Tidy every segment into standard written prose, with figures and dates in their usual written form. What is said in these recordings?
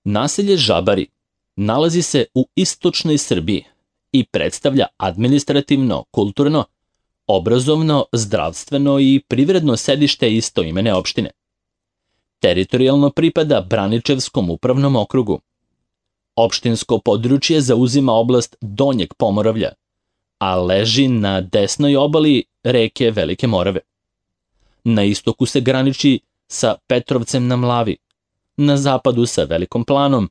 Naselje Žabari nalazi se u istočnoj Srbiji i predstavlja administrativno, kulturno, obrazovno, zdravstveno i privredno sedište istoimene opštine. Teritorijalno pripada Braničevskom upravnom okrugu. Opštinsko područje zauzima oblast Donjeg Pomoravlja, a leži na desnoj obali reke Velike Morave. Na istoku se graniči sa Petrovcem na Mlavi, na zapadu sa Velikom Planom,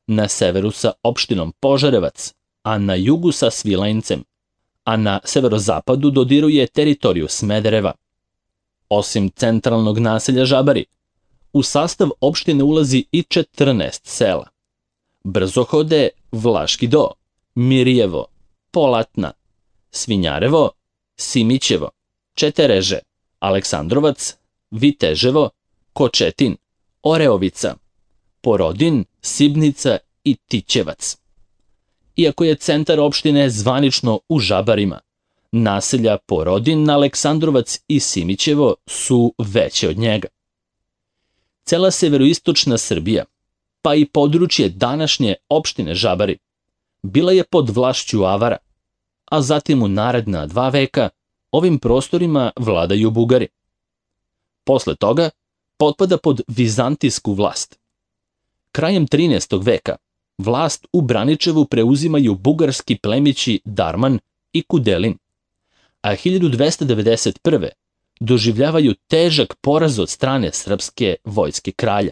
na severu sa opštinom Požarevac, a na jugu sa Svilajncem, a na severozapadu dodiruje teritoriju Smedereva. Osim centralnog naselja Žabari, u sastav opštine ulazi i 14 sela: Brzohode, Vlaški Do, Mirjevo, Polatna, Svinjarevo, Simićevo, Četereže, Aleksandrovac, Viteževo, Kočetin, Oreovica, Porodin, Sibnica i Tićevac. Iako je centar opštine zvanično u Žabarima, naselja Porodin, Aleksandrovac i Simićevo su veće od njega. Cela severoistočna Srbija, pa i područje današnje opštine Žabari, bila je pod vlašću Avara, a zatim u naredna 2 veka ovim prostorima vladaju Bugari. Posle toga potpada pod vizantijsku vlast. Krajem 13. veka vlast u Braničevu preuzimaju bugarski plemići Darman i Kudelin, a 1291. doživljavaju težak poraz od strane srpske vojske kralja.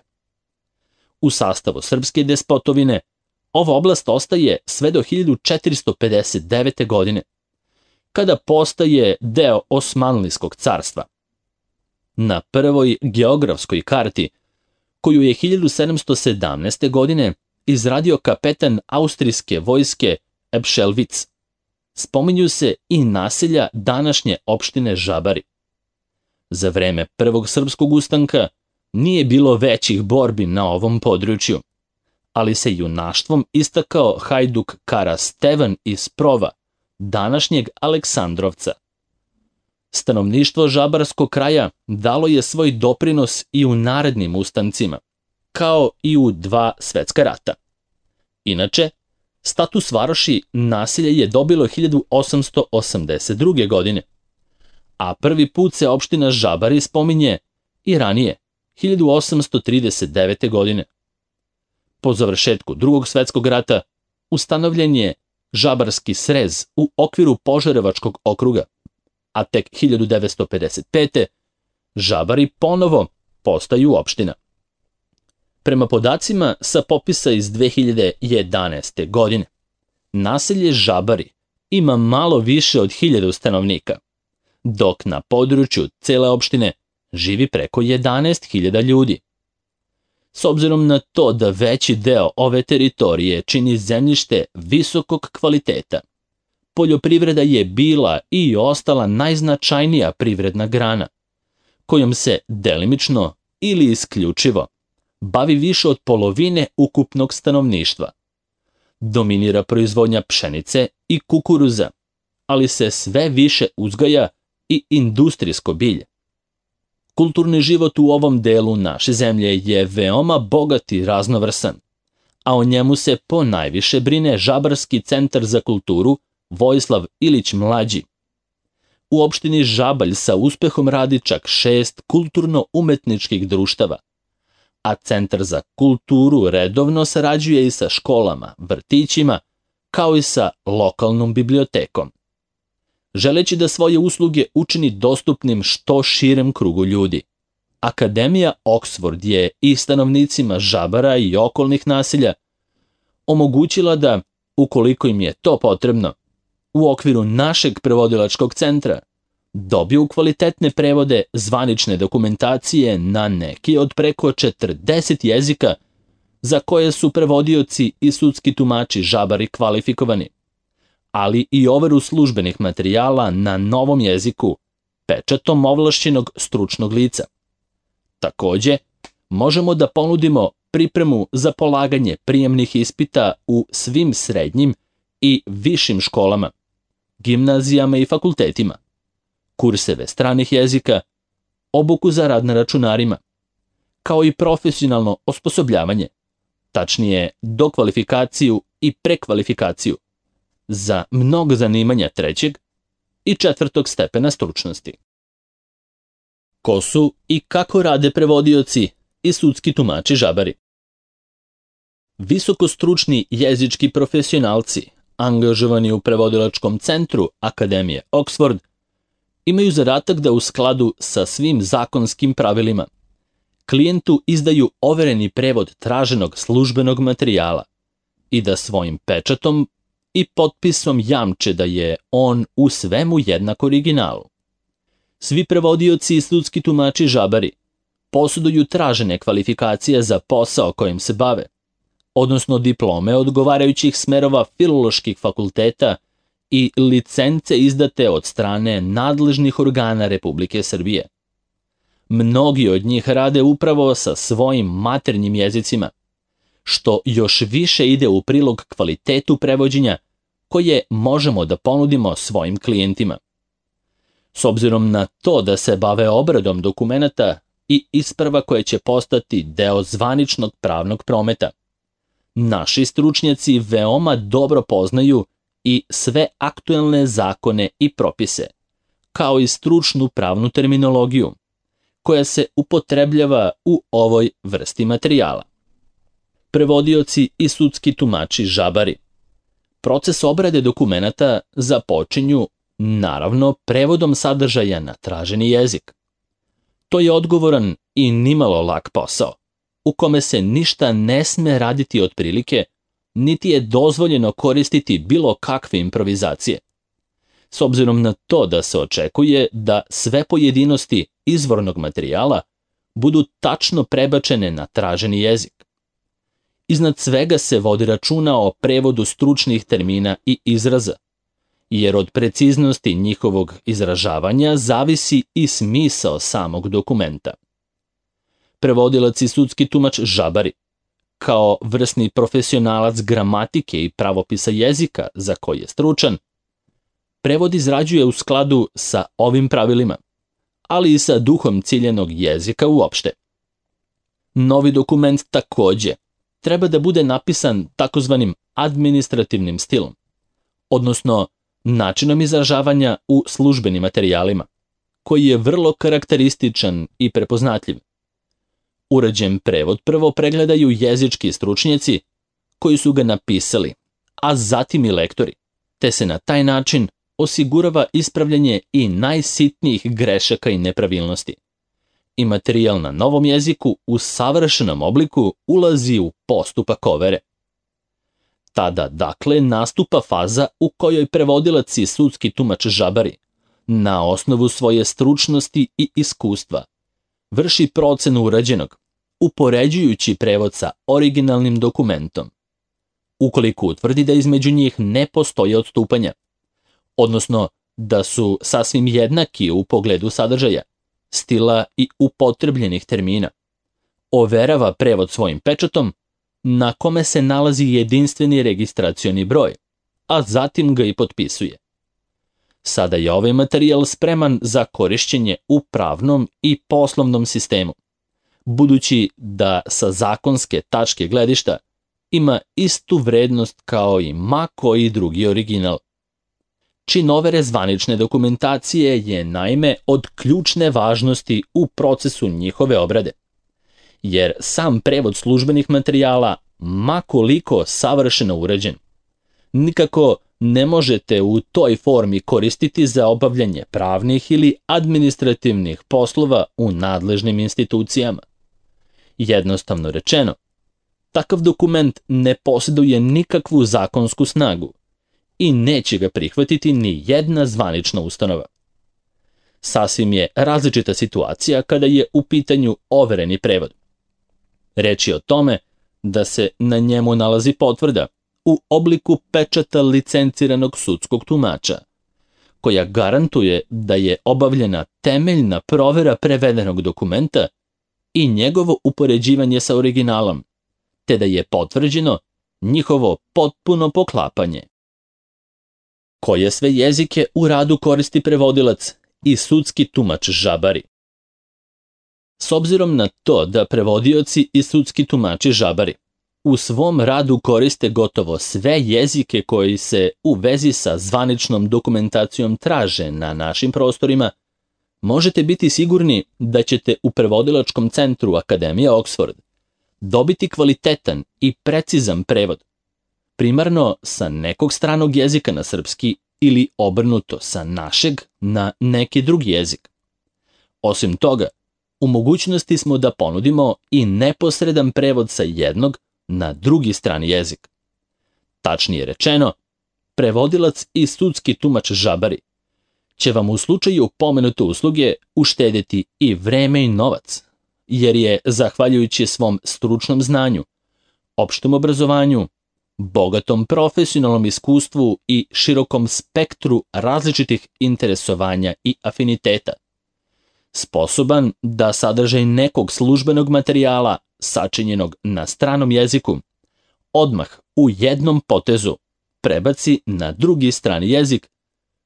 U sastavu srpske despotovine ova oblast ostaje sve do 1459. godine, kada postaje deo Osmanlijskog carstva. Na prvoj geografskoj karti, koju je 1717. godine izradio kapetan austrijske vojske Epšelvic, spominju se i naselja današnje opštine Žabari. Za vreme Prvog srpskog ustanka nije bilo većih borbi na ovom području, ali se junaštvom istakao hajduk Kara Stevan iz Prova, današnjeg Aleksandrovca. Stanovništvo žabarskog kraja dalo je svoj doprinos i u narednim ustancima, kao i u 2 svetska rata. Inače, status varoši naselje je dobilo 1882. godine, a prvi put se opština Žabari spominje i ranije, 1839. godine. Po završetku Drugog svetskog rata ustanovljen je Žabarski srez u okviru Požarevačkog okruga, a tek 1955. Žabari ponovo postaju opština. Prema podacima sa popisa iz 2011. godine, naselje Žabari ima malo više od 1000 stanovnika, dok na području cele opštine živi preko 11.000 ljudi. S obzirom na to da veći deo ove teritorije čini zemljište visokog kvaliteta, poljoprivreda je bila i ostala najznačajnija privredna grana, kojom se delimično ili isključivo bavi više od polovine ukupnog stanovništva. Dominira proizvodnja pšenice i kukuruza, ali se sve više uzgaja i industrijsko bilje. Kulturni život u ovom delu naše zemlje je veoma bogat i raznovrsan, a o njemu se ponajviše brine Žabarski centar za kulturu Vojislav Ilić Mlađi. U opštini Žabalj sa uspehom radi čak 6 kulturno-umetničkih društava, a Centar za kulturu redovno sarađuje i sa školama, vrtićima, kao i sa lokalnom bibliotekom. Želeći da svoje usluge učini dostupnim što širem krugu ljudi, Akademija Oxford je i stanovnicima Žabara i okolnih naselja omogućila da, ukoliko im je to potrebno, u okviru našeg prevodilačkog centra dobiju kvalitetne prevode zvanične dokumentacije na neki od preko 40 jezika za koje su prevodioci i sudski tumači Žabari kvalifikovani, ali i overu službenih materijala na novom jeziku, pečatom ovlašćenog stručnog lica. Takođe, možemo da ponudimo pripremu za polaganje prijemnih ispita u svim srednjim i višim školama, gimnazijama i fakultetima, kurseve stranih jezika, obuku za rad na računarima, kao i profesionalno osposobljavanje, tačnije dokvalifikaciju i prekvalifikaciju, za mnogo zanimanja 3. i 4. stepena stručnosti. Ko su i kako rade prevodioci i sudski tumači žabari? Visokostručni jezički profesionalci, angažovani u prevodilačkom centru Akademije Oxford, imaju zadatak da u skladu sa svim zakonskim pravilima klijentu izdaju overeni prevod traženog službenog materijala i da svojim pečatom i potpisom jamče da je on u svemu jednak originalu. Svi prevodioci i sudski tumači žabari posjeduju tražene kvalifikacije za posao kojim se bave, odnosno diplome odgovarajućih smerova filoloških fakulteta i licence izdate od strane nadležnih organa Republike Srbije. Mnogi od njih rade upravo sa svojim maternjim jezicima, što još više ide u prilog kvalitetu prevođenja koje možemo da ponudimo svojim klijentima. S obzirom na to da se bave obradom dokumenata i isprava koje će postati deo zvaničnog pravnog prometa, naši stručnjaci veoma dobro poznaju i sve aktuelne zakone i propise, kao i stručnu pravnu terminologiju, koja se upotrebljava u ovoj vrsti materijala. Prevodioci i sudski tumači žabari. Proces obrade dokumenata započinju, naravno, prevodom sadržaja na traženi jezik. To je odgovoran i nimalo lak posao, u kome se ništa ne sme raditi otprilike, niti je dozvoljeno koristiti bilo kakve improvizacije. S obzirom na to da se očekuje da sve pojedinosti izvornog materijala budu tačno prebačene na traženi jezik. Iznad svega se vodi računa o prevodu stručnih termina i izraza, jer od preciznosti njihovog izražavanja zavisi i smisao samog dokumenta. Prevodilac i sudski tumač žabari, kao vrsni profesionalac gramatike i pravopisa jezika za koji je stručan, prevod izrađuje u skladu sa ovim pravilima, ali i sa duhom ciljenog jezika uopšte. Novi dokument takođe treba da bude napisan takozvanim administrativnim stilom, odnosno načinom izražavanja u službenim materijalima, koji je vrlo karakterističan i prepoznatljiv. Uređen prevod prvo pregledaju jezički stručnjaci koji su ga napisali, a zatim i lektori, te se na taj način osigurava ispravljanje i najsitnijih grešaka i nepravilnosti. I materijal na novom jeziku u savršenom obliku ulazi u postupak overe. Tada, dakle, nastupa faza u kojoj prevodilac i sudski tumač žabari, na osnovu svoje stručnosti i iskustva, vrši procenu urađenog, upoređujući prevod sa originalnim dokumentom. Ukoliko utvrdi da između njih ne postoje odstupanja, odnosno da su sasvim jednaki u pogledu sadržaja, stila i upotrebljenih termina, overava prevod svojim pečatom, na kome se nalazi jedinstveni registracioni broj, a zatim ga i potpisuje. Sada je ovaj materijal spreman za korišćenje u pravnom i poslovnom sistemu, budući da sa zakonske tačke gledišta ima istu vrednost kao i ma koji drugi original. Čin overe zvanične dokumentacije je naime od ključne važnosti u procesu njihove obrade, jer sam prevod službenih materijala, ma koliko savršeno urađen, nikako ne možete u toj formi koristiti za obavljanje pravnih ili administrativnih poslova u nadležnim institucijama. Jednostavno rečeno, takav dokument ne posjeduje nikakvu zakonsku snagu i neće ga prihvatiti ni jedna zvanična ustanova. Sasvim je različita situacija kada je u pitanju overeni prevod. Reč je o tome da se na njemu nalazi potvrda u obliku pečata licenciranog sudskog tumača, koja garantuje da je obavljena temeljna provera prevedenog dokumenta i njegovo upoređivanje sa originalom, te da je potvrđeno njihovo potpuno poklapanje. Koje sve jezike u radu koristi prevodilac i sudski tumač žabari? S obzirom na to da prevodioci i sudski tumači žabari u svom radu koriste gotovo sve jezike koji se u vezi sa zvaničnom dokumentacijom traže na našim prostorima, možete biti sigurni da ćete u prevodilačkom centru Akademije Oxford dobiti kvalitetan i precizan prevod, primarno sa nekog stranog jezika na srpski ili obrnuto sa našeg na neki drugi jezik. Osim toga, u mogućnosti smo da ponudimo i neposredan prevod sa jednog na drugi strani jezik. Tačnije rečeno, prevodilac i sudski tumač Žabari će vam u slučaju pomenute usluge uštedjeti i vreme i novac, jer je, zahvaljujući svom stručnom znanju, opštem obrazovanju, bogatom profesionalnom iskustvu i širokom spektru različitih interesovanja i afiniteta, sposoban da sadržaj nekog službenog materijala sačinjenog na stranom jeziku odmah u jednom potezu prebaci na drugi strani jezik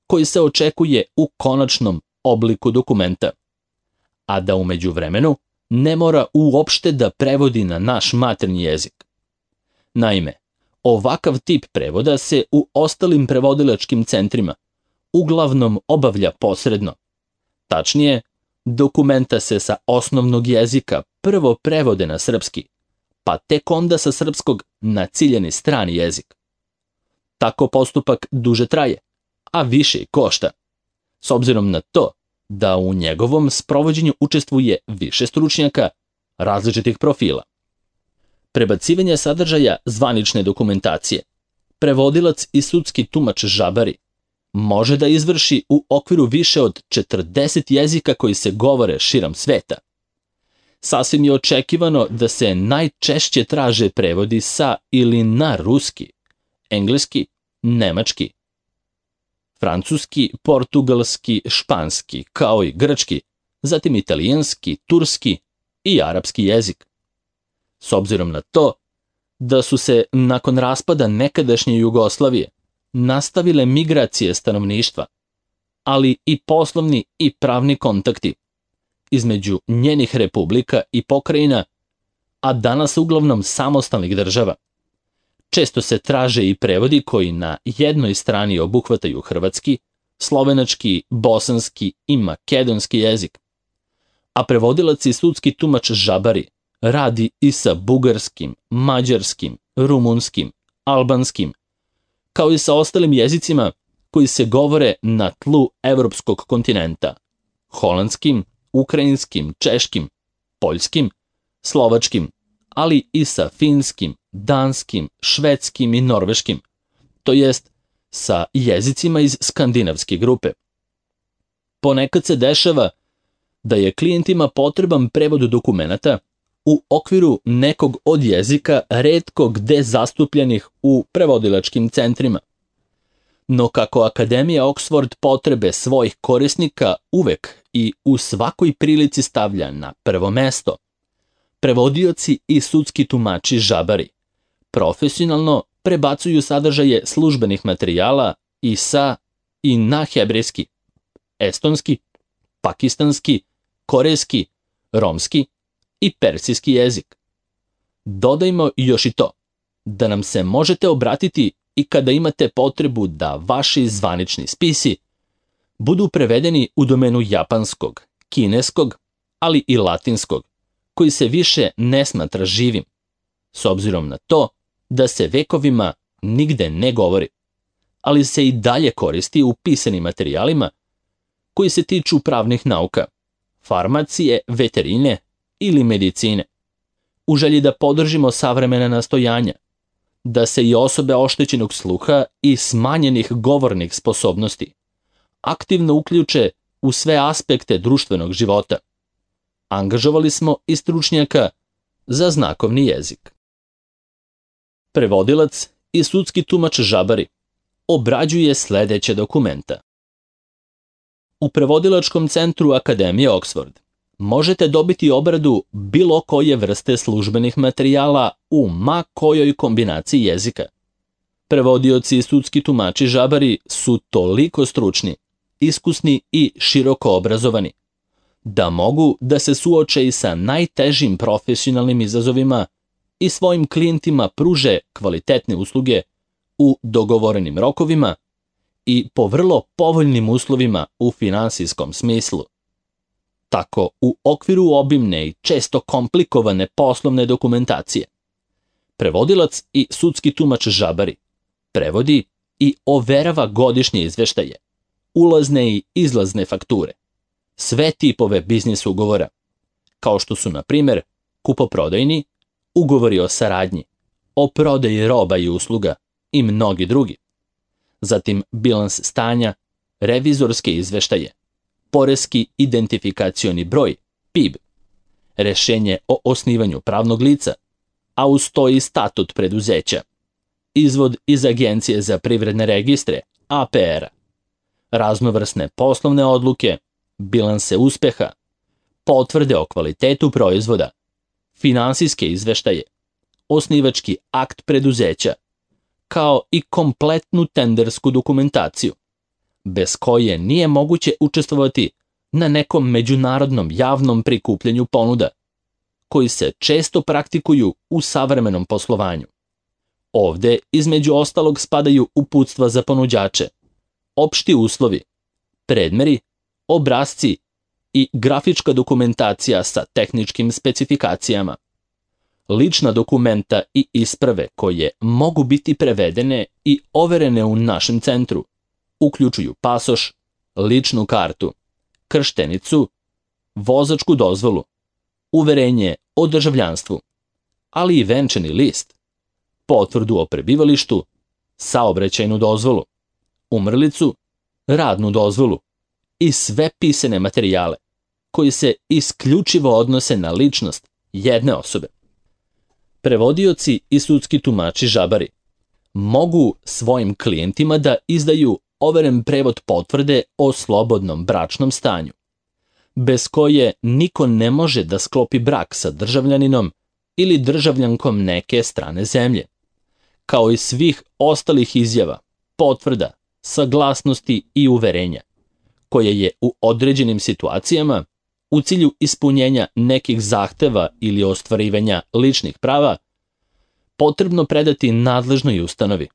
koji se očekuje u konačnom obliku dokumenta, a da u međuvremenu ne mora uopšte da prevodi na naš maternji jezik. Naime, ovakav tip prevoda se u ostalim prevodilačkim centrima uglavnom obavlja posredno. Tačnije, dokumenta se sa osnovnog jezika prvo prevode na srpski, pa tek onda sa srpskog na ciljani strani jezik. Tako postupak duže traje, a više košta, s obzirom na to da u njegovom sprovođenju učestvuje više stručnjaka različitih profila. Prebacivanje sadržaja zvanične dokumentacije prevodilac i sudski tumač Žabari može da izvrši u okviru više od 40 jezika koji se govore širom sveta. Sasvim je očekivano da se najčešće traže prevodi sa ili na ruski, engleski, nemački, francuski, portugalski, španski, kao i grčki, zatim italijanski, turski i arapski jezik. S obzirom na to da su se nakon raspada nekadašnje Jugoslavije nastavile migracije stanovništva, ali i poslovni i pravni kontakti između njenih republika i pokrajina, a danas uglavnom samostalnih država. Često se traže i prevodi koji na jednoj strani obuhvataju hrvatski, slovenački, bosanski i makedonski jezik, a prevodilac i sudski tumač Žabari radi i sa bugarskim, mađarskim, rumunskim, albanskim, kao i sa ostalim jezicima koji se govore na tlu evropskog kontinenta, holandskim, ukrajinskim, češkim, poljskim, slovačkim, ali i sa finskim, danskim, švedskim i norveškim, to jest sa jezicima iz skandinavske grupe. Ponekad se dešava da je klijentima potreban prevod dokumenata u okviru nekog od jezika retko gde zastupljenih u prevodilačkim centrima. No kako Akademija Oxford potrebe svojih korisnika uvek i u svakoj prilici stavlja na prvo mesto, prevodioci i sudski tumači Žabari profesionalno prebacuju sadržaje službenih materijala i sa i na hebrejski, estonski, pakistanski, korejski, romski i persijski jezik. Dodajmo još i to, da nam se možete obratiti i kada imate potrebu da vaši zvanični spisi budu prevedeni u domenu japanskog, kineskog, ali i latinskog, koji se više ne smatra živim, s obzirom na to da se vekovima nigde ne govori, ali se i dalje koristi u pisanim materijalima koji se tiču pravnih nauka, farmacije, veterine ili medicine, u želji da podržimo savremena nastojanja, da se i osobe oštećenog sluha i smanjenih govornih sposobnosti aktivno uključe u sve aspekte društvenog života. Angažovali smo i stručnjaka za znakovni jezik. Prevodilac i sudski tumač Žabari obrađuje sledeće dokumenta. U prevodilačkom centru Akademije Oxford možete dobiti obradu bilo koje vrste službenih materijala u ma kojoj kombinaciji jezika. Prevodioci i sudski tumači Žabari su toliko stručni, iskusni i široko obrazovani, da mogu da se suoče i sa najtežim profesionalnim izazovima i svojim klijentima pruže kvalitetne usluge u dogovorenim rokovima i po vrlo povoljnim uslovima u finansijskom smislu. Tako, u okviru obimne i često komplikovane poslovne dokumentacije, prevodilac i sudski tumač žabari prevodi i overava godišnje izveštaje, ulazne i izlazne fakture, sve tipove biznis ugovora, kao što su, na primjer, kupoprodajni, ugovori o saradnji, o prodaji roba i usluga i mnogi drugi. Zatim bilans stanja, revizorske izveštaje, poreski identifikacioni broj, PIB, rešenje o osnivanju pravnog lica, a uz to i statut preduzeća, izvod iz Agencije za privredne registre, APR-a, raznovrsne poslovne odluke, bilanse uspeha, potvrde o kvalitetu proizvoda, finansijske izveštaje, osnivački akt preduzeća, kao i kompletnu tendersku dokumentaciju, bez koje nije moguće učestvovati na nekom međunarodnom javnom prikupljanju ponuda, koji se često praktikuju u savremenom poslovanju. Ovde, između ostalog, spadaju uputstva za ponuđače, opšti uslovi, predmeri, obrasci i grafička dokumentacija sa tehničkim specifikacijama, lična dokumenta i isprave koje mogu biti prevedene i overene u našem centru, uključuju pasoš, ličnu kartu, krštenicu, vozačku dozvolu, uverenje o državljanstvu, ali i venčani list, potvrdu o prebivalištu, saobraćajnu dozvolu, umrlicu, radnu dozvolu i sve pisane materijale koji se isključivo odnose na ličnost jedne osobe. Prevodioci i sudski tumači žabari mogu svojim klijentima da izdaju overen prevod potvrde o slobodnom bračnom stanju, bez koje niko ne može da sklopi brak sa državljaninom ili državljankom neke strane zemlje, kao i svih ostalih izjava, potvrda, saglasnosti i uverenja, koje je u određenim situacijama, u cilju ispunjenja nekih zahteva ili ostvarivanja ličnih prava, potrebno predati nadležnoj ustanovi.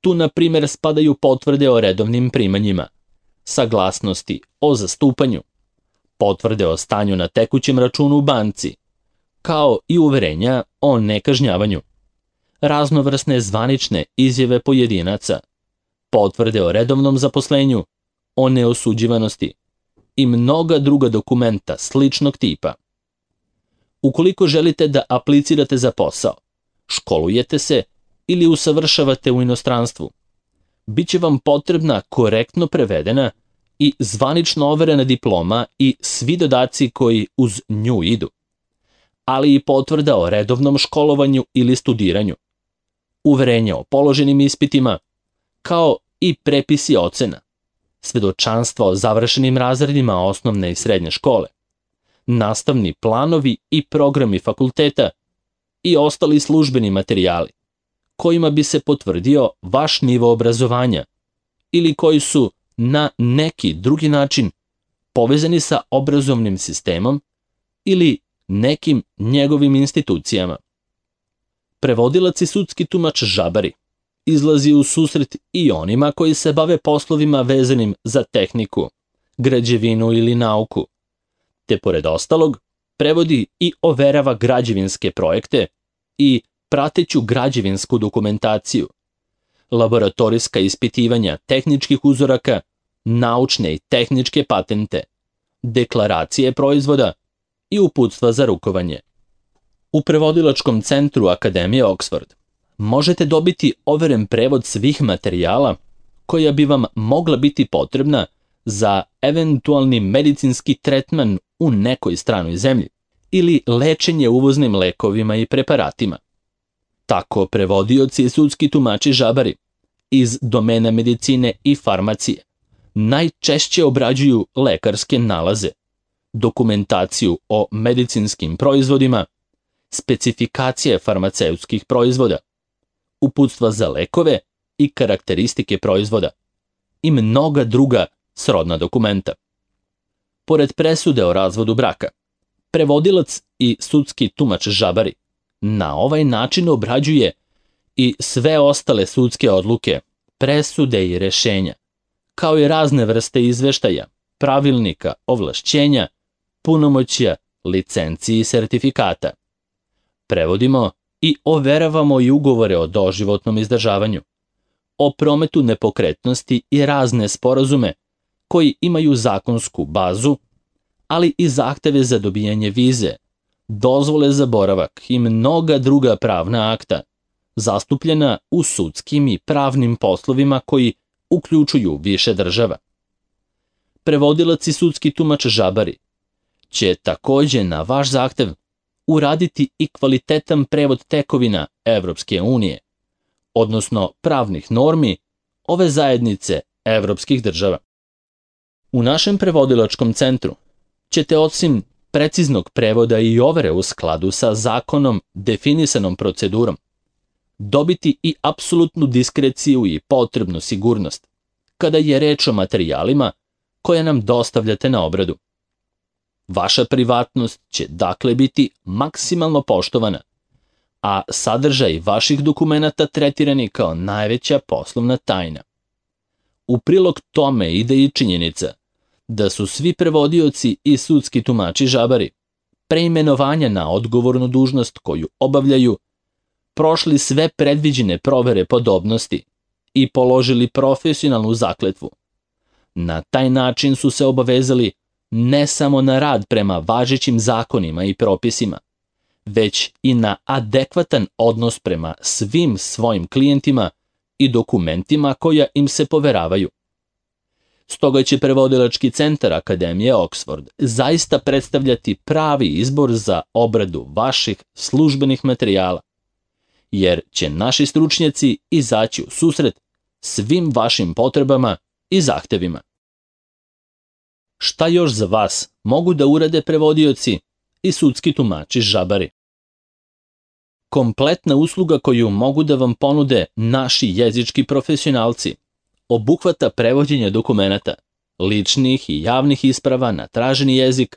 Tu, na primjer, spadaju potvrde o redovnim primanjima, saglasnosti o zastupanju, potvrde o stanju na tekućem računu u banci, kao i uverenja o nekažnjavanju, raznovrsne zvanične izjave pojedinaca, potvrde o redovnom zaposlenju, o neosuđivanosti i mnoga druga dokumenta sličnog tipa. Ukoliko želite da aplicirate za posao, školujete se ili usavršavate u inostranstvu, bit će vam potrebna korektno prevedena i zvanično overena diploma i svi dodaci koji uz nju idu, ali i potvrda o redovnom školovanju ili studiranju, uverenje o položenim ispitima, kao i prepisi ocena, svedočanstva o završenim razredima osnovne i srednje škole, nastavni planovi i programi fakulteta i ostali službeni materijali, kojima bi se potvrdio vaš nivo obrazovanja ili koji su na neki drugi način povezani sa obrazovnim sistemom ili nekim njegovim institucijama. Prevodilac i sudski tumač žabari izlazi u susret i onima koji se bave poslovima vezanim za tehniku, građevinu ili nauku, te pored ostalog prevodi i overava građevinske projekte i prateću građevinsku dokumentaciju, laboratorijska ispitivanja tehničkih uzoraka, naučne i tehničke patente, deklaracije proizvoda i uputstva za rukovanje. U prevodilačkom centru Akademije Oxford možete dobiti overen prevod svih materijala koja bi vam mogla biti potrebna za eventualni medicinski tretman u nekoj stranoj zemlji ili lečenje uvoznim lekovima i preparatima. Tako prevodioci i sudski tumači žabari iz domena medicine i farmacije najčešće obrađuju lekarske nalaze, dokumentaciju o medicinskim proizvodima, specifikacije farmaceutskih proizvoda, uputstva za lekove i karakteristike proizvoda i mnoga druga srodna dokumenta. Pored presude o razvodu braka, prevodilac i sudski tumač žabari na ovaj način obrađuje i sve ostale sudske odluke, presude i rešenja, kao i razne vrste izveštaja, pravilnika, ovlašćenja, punomoćja, licenciji i sertifikata. Prevodimo i overavamo i ugovore o doživotnom izdržavanju, o prometu nepokretnosti i razne sporazume koji imaju zakonsku bazu, ali i zahteve za dobijanje vize, dozvole za boravak i mnoga druga pravna akta, zastupljena u sudskim i pravnim poslovima koji uključuju više država. Prevodilac i sudski tumač žabari će takođe na vaš zahtev uraditi i kvalitetan prevod tekovina Evropske unije, odnosno pravnih normi ove zajednice evropskih država. U našem prevodilačkom centru ćete osim preciznog prevoda i overe u skladu sa zakonom definisanom procedurom dobiti i apsolutnu diskreciju i potrebnu sigurnost kada je reč o materijalima koje nam dostavljate na obradu. Vaša privatnost će dakle biti maksimalno poštovana, a sadržaj vaših dokumenata tretirani kao najveća poslovna tajna. U prilog tome ide i činjenica da su svi prevodioci i sudski tumači žabari preimenovanja na odgovornu dužnost koju obavljaju prošli sve predviđene provere podobnosti i položili profesionalnu zakletvu. Na taj način su se obavezali ne samo na rad prema važećim zakonima i propisima, već i na adekvatan odnos prema svim svojim klijentima i dokumentima koja im se poveravaju. Stoga će prevodilački centar Akademije Oxford zaista predstavljati pravi izbor za obradu vaših službenih materijala, jer će naši stručnjaci izaći u susret svim vašim potrebama i zahtevima. Šta još za vas mogu da urade prevodioci i sudski tumači žabari? Kompletna usluga koju mogu da vam ponude naši jezički profesionalci obuhvata prevođenje dokumenata, ličnih i javnih isprava na traženi jezik,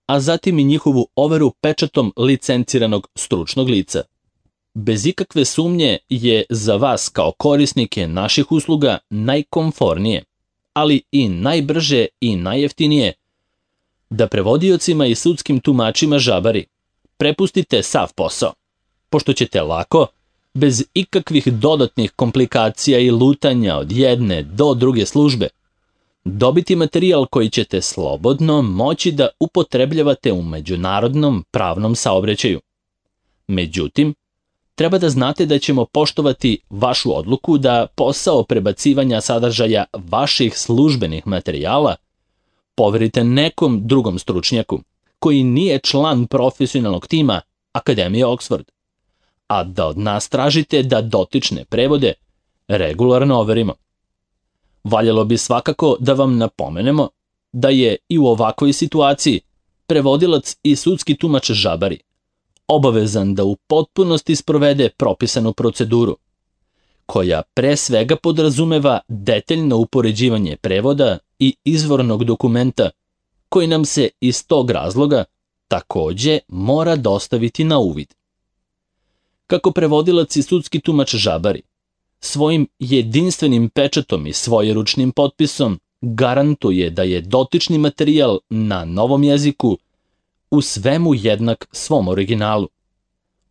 a zatim i njihovu overu pečatom licenciranog stručnog lica. Bez ikakve sumnje je za vas kao korisnike naših usluga najkomfornije, ali i najbrže i najjeftinije da prevodiocima i sudskim tumačima žabari prepustite sav posao, pošto ćete lako, bez ikakvih dodatnih komplikacija i lutanja od jedne do druge službe, dobiti materijal koji ćete slobodno moći da upotrebljavate u međunarodnom pravnom saobraćaju. Međutim, treba da znate da ćemo poštovati vašu odluku da posao prebacivanja sadržaja vaših službenih materijala poverite nekom drugom stručnjaku koji nije član profesionalnog tima Akademije Oxford, a da od nas tražite da dotične prevode regularno overimo. Valjalo bi svakako da vam napomenemo da je i u ovakvoj situaciji prevodilac i sudski tumač žabari obavezan da u potpunosti sprovede propisanu proceduru, koja pre svega podrazumeva detaljno upoređivanje prevoda i izvornog dokumenta, koji nam se iz tog razloga takođe mora dostaviti na uvid. Kako prevodilac i sudski tumač žabari svojim jedinstvenim pečatom i svojeručnim potpisom garantuje da je dotični materijal na novom jeziku u svemu jednak svom originalu.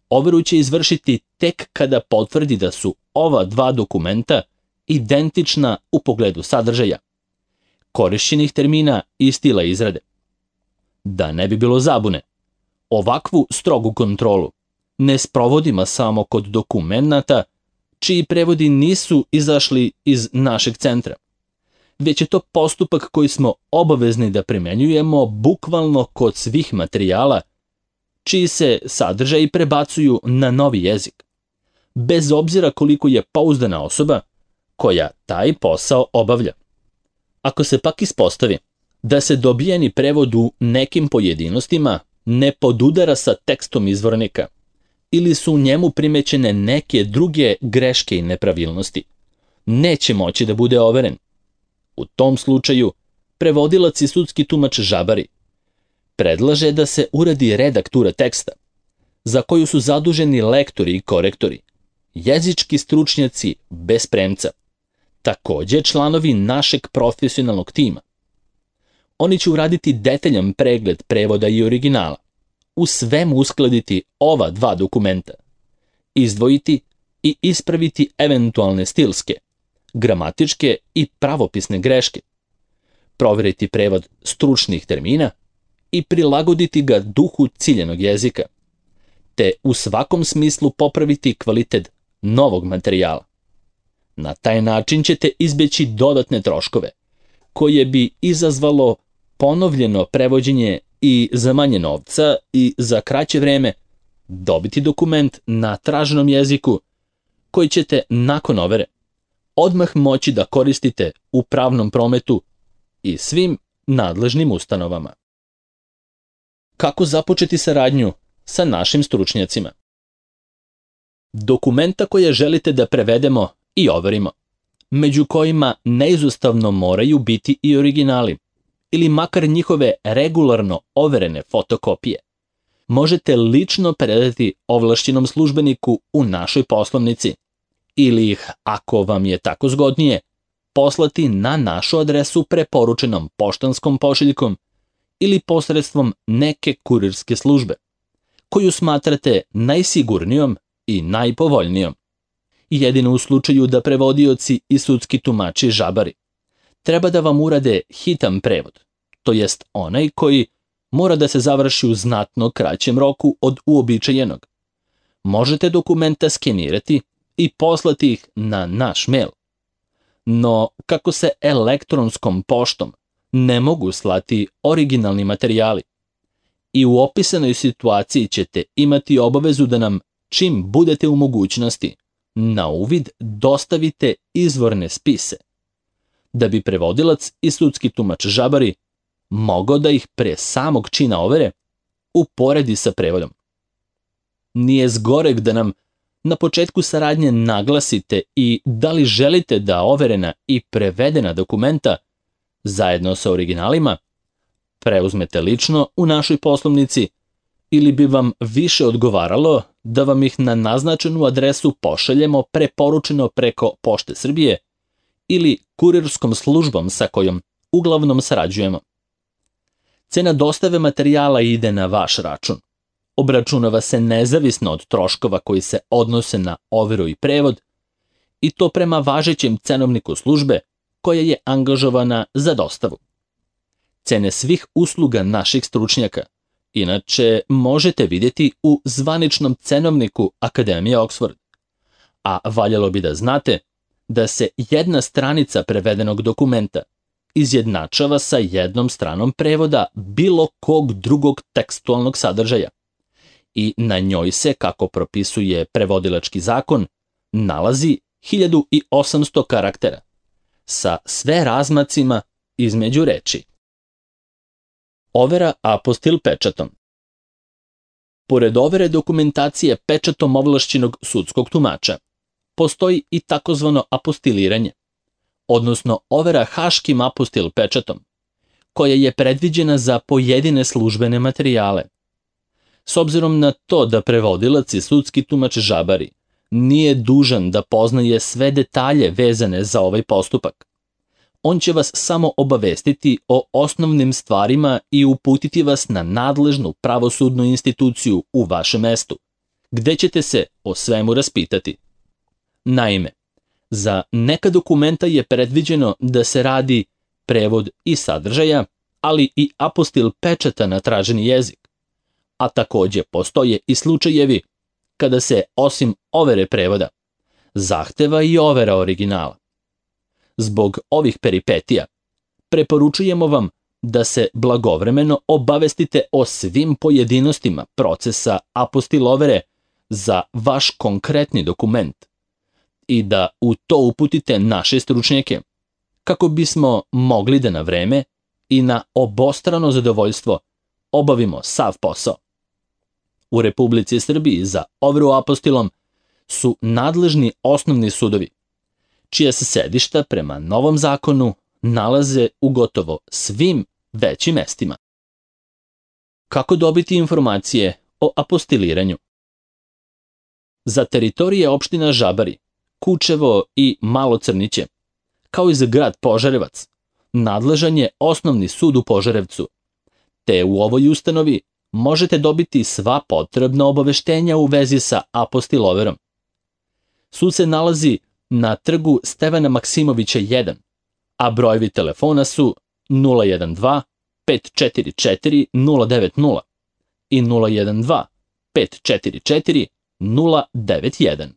Overu će izvršiti tek kada potvrdi da su ova dva dokumenta identična u pogledu sadržaja, korišćenih termina i stila izrade. Da ne bi bilo zabune, ovakvu strogu kontrolu ne sprovodimo samo kod dokumenata čiji prevodi nisu izašli iz našeg centra, već je to postupak koji smo obavezni da primenjujemo bukvalno kod svih materijala čiji se sadržaji prebacuju na novi jezik, bez obzira koliko je pouzdana osoba koja taj posao obavlja. Ako se pak ispostavi da se dobijeni prevod u nekim pojedinostima ne podudara sa tekstom izvornika ili su u njemu primećene neke druge greške i nepravilnosti, neće moći da bude overen. U tom slučaju, prevodilac i sudski tumač žabari predlaže da se uradi redaktura teksta, za koju su zaduženi lektori i korektori, jezički stručnjaci bez premca, takođe članovi našeg profesionalnog tima. Oni će uraditi detaljan pregled prevoda i originala, u svemu uskladiti ova dva dokumenta, izdvojiti i ispraviti eventualne stilske, gramatičke i pravopisne greške, proveriti prevod stručnih termina i prilagoditi ga duhu ciljanog jezika, te u svakom smislu popraviti kvalitet novog materijala. Na taj način ćete izbeći dodatne troškove, koje bi izazvalo ponovljeno prevođenje i za manje novca i za kraće vreme dobiti dokument na traženom jeziku koji ćete nakon overe odmah moći da koristite u pravnom prometu i svim nadležnim ustanovama. Kako započeti saradnju sa našim stručnjacima? Dokumenta koje želite da prevedemo i overimo, među kojima neizostavno moraju biti i originali, ili makar njihove regularno overene fotokopije, možete lično predati ovlašćenom službeniku u našoj poslovnici ili ih, ako vam je tako zgodnije, poslati na našu adresu preporučenom poštanskom pošiljkom ili posredstvom neke kurirske službe, koju smatrate najsigurnijom i najpovoljnijom. Jedino u slučaju da prevodioci i sudski tumači žabari treba da vam urade hitan prevod, to jest onaj koji mora da se završi u znatno kraćem roku od uobičajenog. Možete dokumenta skenirati i poslati ih na naš mail. No, kako se elektronskom poštom ne mogu slati originalni materijali, i u opisanoj situaciji ćete imati obavezu da nam, čim budete u mogućnosti, na uvid dostavite izvorne spise, da bi prevodilac i sudski tumač žabari mogao da ih pre samog čina overe uporedi sa prevodom. Nije zgoreg da nam na početku saradnje naglasite i da li želite da overena i prevedena dokumenta, zajedno sa originalima, preuzmete lično u našoj poslovnici ili bi vam više odgovaralo da vam ih na naznačenu adresu pošaljemo preporučeno preko Pošte Srbije ili kurirskom službom sa kojom uglavnom sarađujemo. Cena dostave materijala ide na vaš račun. Obračunava se nezavisno od troškova koji se odnose na overu i prevod, i to prema važećem cenovniku službe koja je angažovana za dostavu. Cene svih usluga naših stručnjaka inače možete vidjeti u zvaničnom cenovniku Akademije Oxford, a valjalo bi da znate da se jedna stranica prevedenog dokumenta izjednačava sa jednom stranom prevoda bilo kog drugog tekstualnog sadržaja i na njoj se, kako propisuje prevodilački zakon, nalazi 1800 karaktera sa sve razmacima između reči. Overa apostil pečatom. Pored overe dokumentacije pečatom ovlašćenog sudskog tumača, postoji i takozvano apostiliranje, odnosno overa haškim apostil pečatom, koja je predviđena za pojedine službene materijale. S obzirom na to da prevodilac i sudski tumač žabari nije dužan da poznaje sve detalje vezane za ovaj postupak, on će vas samo obavestiti o osnovnim stvarima i uputiti vas na nadležnu pravosudnu instituciju u vašem mestu, gde ćete se o svemu raspitati. Naime, za neka dokumenta je predviđeno da se radi prevod i sadržaja, ali i apostil pečata na traženi jezik, a takođe postoje i slučajevi kada se, osim overe prevoda, zahteva i overa originala. Zbog ovih peripetija, preporučujemo vam da se blagovremeno obavestite o svim pojedinostima procesa apostil overe za vaš konkretni dokument i da u to uputite naše stručnjake, kako bismo mogli da na vreme i na obostrano zadovoljstvo obavimo sav posao. U Republici Srbiji za overu apostilom su nadležni osnovni sudovi, čija se sedišta prema novom zakonu nalaze u gotovo svim većim mestima. Kako dobiti informacije o apostiliranju? Za teritorije opština Žabari, Kučevo i Malo Crniće, kao i za grad Požarevac, nadležan je Osnovni sud u Požarevcu, te u ovoj ustanovi možete dobiti sva potrebna obaveštenja u vezi sa apostiloverom. Sud se nalazi na trgu Stevana Maksimovića 1, a brojevi telefona su 012 544 090 i 012 544 091.